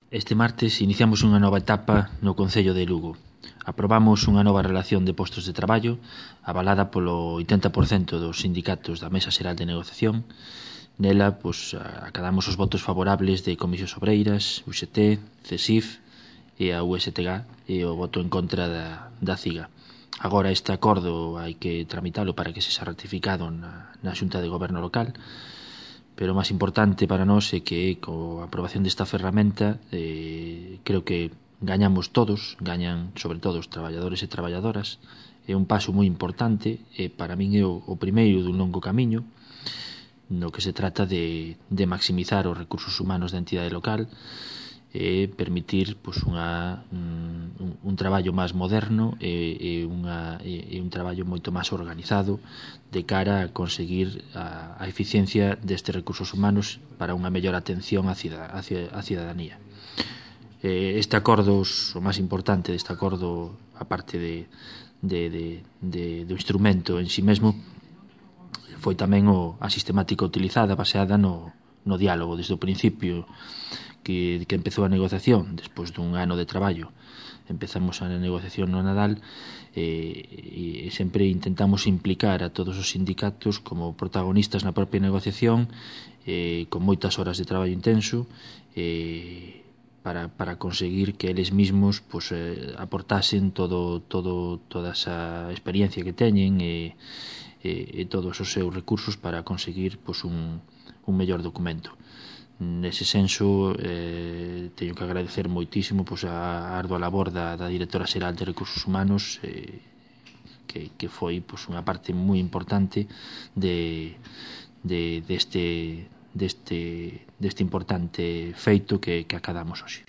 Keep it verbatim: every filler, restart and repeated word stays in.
Este martes iniciamos unha nova etapa no Concello de Lugo. Aprobamos unha nova relación de postos de traballo avalada polo oitenta por cento dos sindicatos da Mesa Xeral de Negociación. Nela, pois, acadamos os votos favorables de Comisións Obreiras, U X T, CESIF e a U S T G e o voto en contra da, da CIGA. Agora este acordo hai que tramitalo para que se xa ratificado na, na Xunta de Goberno local, pero o máis importante para nós é que coa aprobación desta ferramenta eh, creo que gañamos todos, gañan sobre todo os traballadores e traballadoras. É un paso moi importante e para min é o, o primeiro dun longo camiño no que se trata de, de maximizar os recursos humanos da entidade local e permitir pois, unha, un, un traballo máis moderno e, e, unha, e, e un traballo moito máis organizado de cara a conseguir a, a eficiencia destes recursos humanos para unha mellor atención á cidadanía. Este acordo, o máis importante deste acordo, a parte de, de, de, de, do instrumento en si mesmo, foi tamén o, a sistemática utilizada baseada no, no diálogo desde o principio que, que empezou a negociación despois dun ano de traballo. Empezamos a negociación no Nadal e, e sempre intentamos implicar a todos os sindicatos como protagonistas na propia negociación eh, con moitas horas de traballo intenso eh, para, para conseguir que eles mesmos pues, eh, aportasen todo, todo, toda esa experiencia que teñen e, e, e todos os seus recursos para conseguir pues, un, un mellor documento. Nese senso, eh, teño que agradecer moitísimo pois, a ardua labor da, da Directora Xeral de Recursos Humanos eh, que, que foi pois, unha parte moi importante de, de, deste, deste, deste importante feito que, que acadamos hoxe.